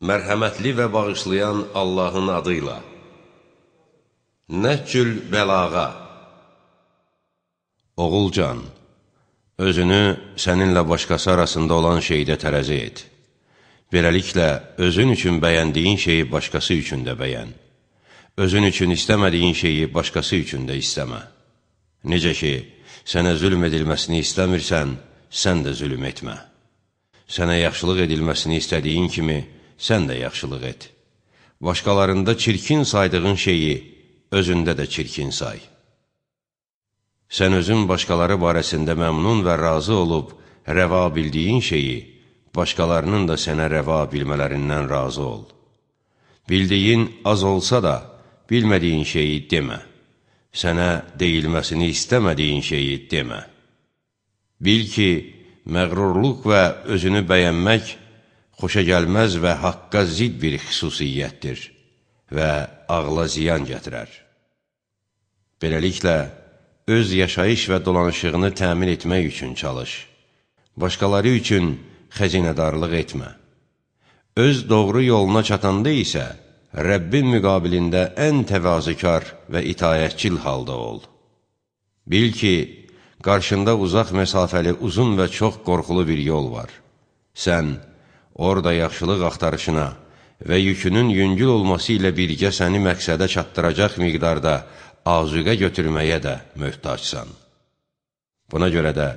Mərhəmətli və bağışlayan Allahın adıyla. Nəhcül bəlağa. Oğulcan, özünü səninlə başqası arasında olan şeydə tərəzi et. Beləliklə, özün üçün bəyəndiyin şeyi başqası üçün də bəyən. Özün üçün istəmədiyin şeyi başqası üçün də istəmə. Necə ki, sənə zülm edilməsini istəmirsən, sən də zülm etmə. Sənə yaxşılıq edilməsini istədiyin kimi, sən də yaxşılıq et. Başqalarında çirkin saydığın şeyi özündə də çirkin say. Sən özün başqaları barəsində məmnun və razı olub rəva bildiyin şeyi, başqalarının da sənə rəva bilmələrindən razı ol. Bildiyin az olsa da, bilmədiyin şeyi demə. Sənə deyilməsini istəmədiyin şeyi demə. Bil ki, məğrurluq və özünü bəyənmək xoşagəlməz və haqqa zid bir xüsusiyyətdir və ağla ziyan gətirər. Beləliklə, öz yaşayış və dolanışığını təmin etmək üçün çalış. Başqaları üçün xəzinədarlıq etmə. Öz doğru yoluna çatanda isə, Rəbbin müqabilində ən təvazükar və itayətçil halda ol. Bil ki, qarşında uzaq məsafəli uzun və çox qorxulu bir yol var. Sən, orada yaxşılıq axtarışına və yükünün yüngül olması ilə birgə səni məqsədə çatdıracaq miqdarda azuqə götürməyə də möhtacsan. Buna görə də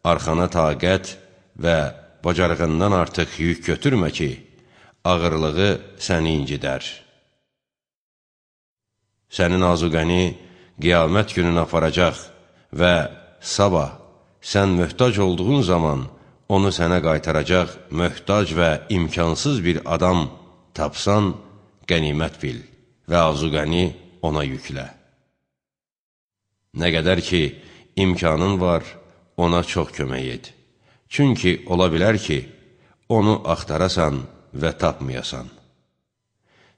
arxana taqət və bacarığından artıq yük götürmə ki, ağırlığı səni incidər. Sənin azuqəni qiyamət gününə aparacaq və sabah sən möhtac olduğun zaman onu sənə qaytaracaq möhtac və imkansız bir adam tapsan, qənimət bil və azuqəni ona yüklə. Nə qədər ki, imkanın var, ona çox kömək et. Çünki ola bilər ki, onu axtarasan və tapmayasan.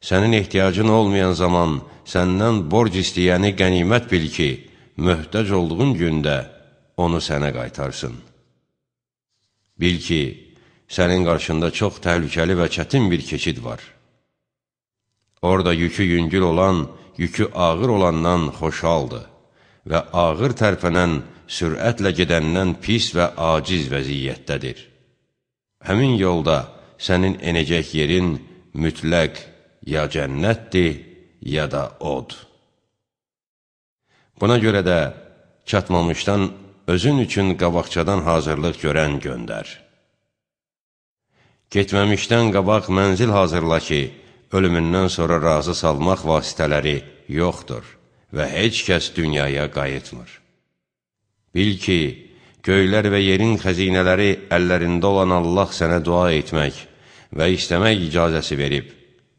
Sənin ehtiyacın olmayan zaman səndən borc istəyəni qənimət bil ki, möhtac olduğun gündə onu sənə qaytarsın. Bil ki, sənin qarşında çox təhlükəli və çətin bir keçid var. Orada yükü yüngül olan, yükü ağır olandan xoşaldır və ağır tərpənən, sürətlə gedəndən pis və aciz vəziyyətdədir. Həmin yolda sənin enəcək yerin mütləq ya cənnətdir, ya da od. Buna görə də çatmamışdan özün üçün qabaqcadan hazırlıq görən göndər. Getməmişdən qabaq mənzil hazırla ki, ölümündən sonra razı salmaq vasitələri yoxdur və heç kəs dünyaya qayıtmır. Bil ki, göylər və yerin xəzinələri əllərində olan Allah sənə dua etmək və istəmək icazəsi verib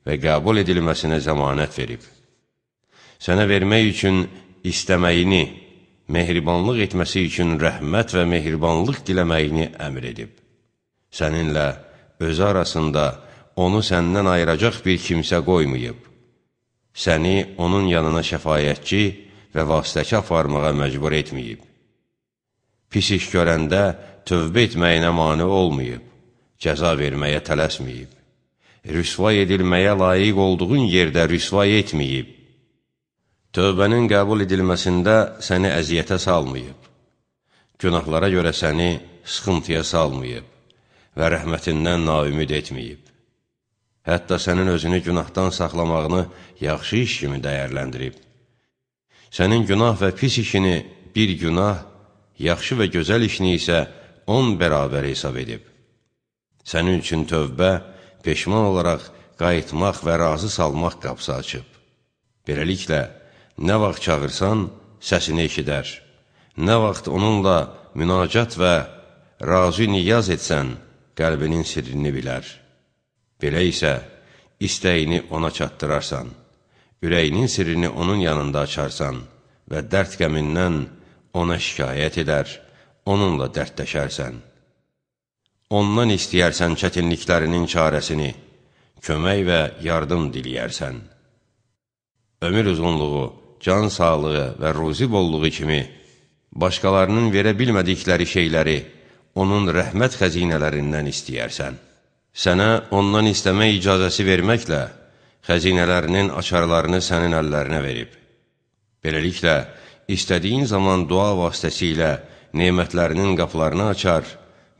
və qəbul edilməsinə zəmanət verib. Sənə vermək üçün istəməyini, mehribanlıq etməsi üçün rəhmət və mehribanlıq diləməyini əmr edib. Səninlə özü arasında onu səndən ayıracaq bir kimsə qoymayıb. Səni onun yanına şəfayətçi və vasitəçi aparmağa məcbur etməyib. Pis iş görəndə tövbə etməyinə mane olmayıb, cəza verməyə tələsməyib. Rüsvay edilməyə layiq olduğun yerdə rüsvay etməyib. Tövbənin qəbul edilməsində səni əziyyətə salmayıb. Günahlara görə səni sıxıntıya salmayıb və rəhmətindən naümid etməyib. Hətta sənin özünü günahdan saxlamağını yaxşı iş kimi dəyərləndirib. Sənin günah və pis işini bir günah, yaxşı və gözəl işini isə 10 bərabər hesab edib. Sənin üçün tövbə, peşman olaraq qayıtmaq və razı salmaq qapısı açıb. Beləliklə, nə vaxt çağırsan, səsini eşidər. Nə vaxt onunla münacat və razı niyaz etsən, qəlbinin sirrini bilər. Belə isə, istəyini ona çatdırarsan, ürəyinin sirrini onun yanında açarsan və dərd qəmindən ona şikayət edər, onunla dərdləşərsən. Ondan istəyərsən çətinliklərinin çarəsini, kömək və yardım diləyərsən. Ömür uzunluğu, can sağlığı və ruzi bolluğu kimi başqalarının verə bilmədikləri şeyləri onun rəhmət xəzinələrindən istəyərsən. Sənə ondan istəmə icazəsi verməklə xəzinələrinin açarlarını sənin əllərinə verib. Beləliklə, istədiyin zaman dua vasitəsilə nemətlərinin qapılarını açar,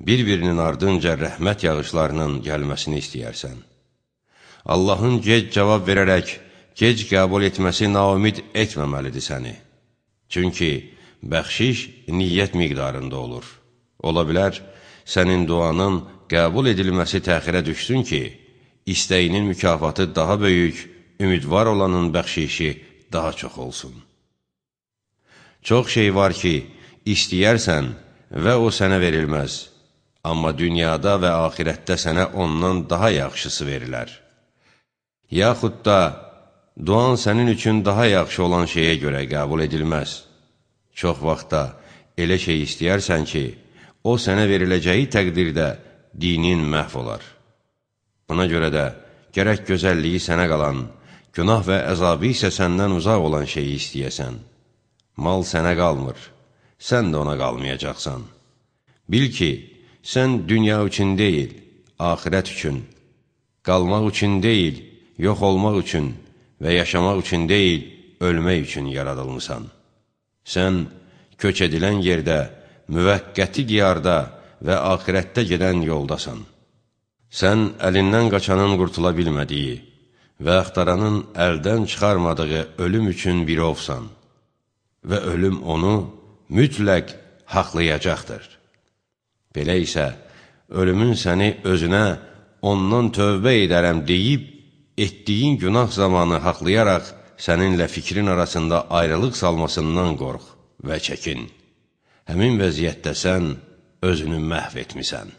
bir-birinin ardınca rəhmət yağışlarının gəlməsini istəyərsən. Allahın gec cavab verərək, gec qəbul etməsi naumid etməməlidir səni. Çünki bəxşiş niyyət miqdarında olur. Ola bilər, sənin duanın qəbul edilməsi təxirə düşsün ki, istəyinin mükafatı daha böyük, ümidvar olanın bəxşişi daha çox olsun. Çox şey var ki, istəyərsən və o sənə verilməz, amma dünyada və axirətdə sənə ondan daha yaxşısı verilər. Yaxud da, duan sənin üçün daha yaxşı olan şeyə görə qəbul edilməz. Çox vaxtda elə şey istəyərsən ki, o sənə veriləcəyi təqdirdə dinin məhv olar. Buna görə də gərək gözəlliyi sənə qalan, günah və əzabı isə səndən uzaq olan şeyi istəyəsən. Mal sənə qalmır, sən də ona qalmayacaqsan. Bil ki, sən dünya üçün deyil, axirət üçün, qalmaq üçün deyil, yox olmaq üçün və yaşamaq üçün deyil, ölmək üçün yaradılmısan. Sən köç edilən yerdə, müvəqqəti diyarda və axirətdə gedən yoldasan. Sən əlindən qaçanın qurtula bilmədiyi və axtaranın əldən çıxarmadığı ölüm üçün bir ovsan və ölüm onu mütləq haqlayacaqdır. Belə isə, ölümün səni özünə ondan tövbə edərəm deyib, etdiyin günah zamanı haqlayaraq səninlə fikrin arasında ayrılıq salmasından qorx və çəkin. Həmin vəziyyətdə sən özünü məhv etmisən.